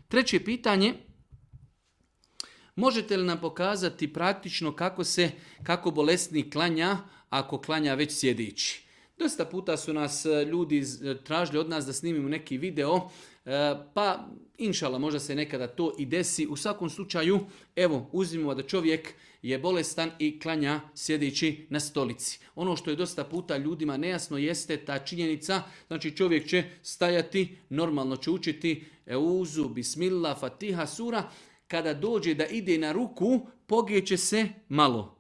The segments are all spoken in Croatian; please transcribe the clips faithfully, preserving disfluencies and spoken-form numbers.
Treće pitanje, možete li nam pokazati praktično kako se, kako bolesnik klanja ako klanja već sjedeći? Dosta puta su nas ljudi tražili od nas da snimimo neki video, pa inšala možda se nekada to i desi. U svakom slučaju, evo, uzmimo da čovjek je bolestan i klanja sjedeći na stolici. Ono što je dosta puta ljudima nejasno jeste ta činjenica, znači čovjek će stajati, normalno će učiti Euzu, Bismillah, Fatiha, sura. Kada dođe da ide na ruku, pogeće se malo.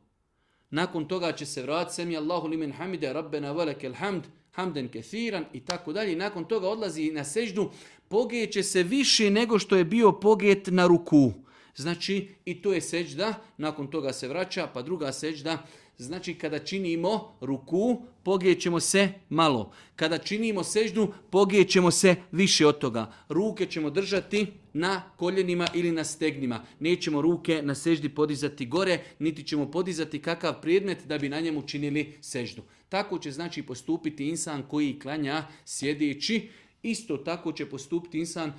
Nakon toga će se vratiti Semi Allahu limen hamide, Rabbena velekel hamd, hamden kethiran i tako dalje. Nakon toga odlazi na seždu, pogeće se više nego što je bio poget na ruku. Znači i to je sežda, nakon toga se vraća, pa druga sežda. Znači kada činimo ruku, pogećemo se malo. Kada činimo seždu, pogećemo se više od toga. Ruke ćemo držati na koljenima ili na stegnima. Nećemo ruke na seždi podizati gore, niti ćemo podizati kakav predmet da bi na njemu činili seždu. Tako će znači postupiti insan koji klanja sjedeći. Isto tako će postupiti insan,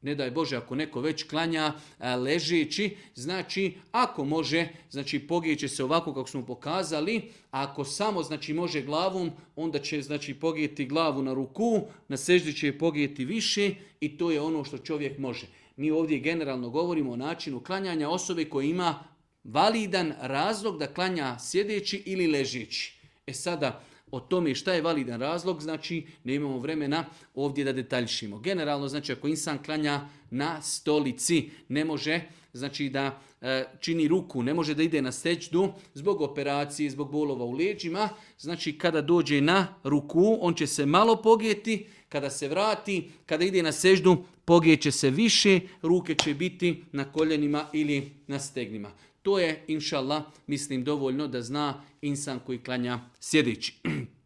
ne daj Bože, ako neko već klanja ležeći, znači ako može, znači pogijeće se ovako kako smo pokazali, a ako samo znači može glavom, onda će znači pogijeti glavu na ruku, na seždi će je pogijeti više i to je ono što čovjek može. Mi ovdje generalno govorimo o načinu klanjanja osobe koja ima validan razlog da klanja sjedeći ili ležeći. E sada, o tome šta je validan razlog, znači ne imamo vremena ovdje da detaljšimo. Generalno, znači ako insan klanja na stolici, ne može znači da e, čini ruku, ne može da ide na sećdu zbog operacije, zbog bolova u leđima. Znači kada dođe na ruku, on će se malo pogijeti, kada se vrati, kada ide na sećdu, pogijeće se više, ruke će biti na koljenima ili na stegnima. To je, inša Allah, mislim dovoljno da zna insan koji klanja sjedeći.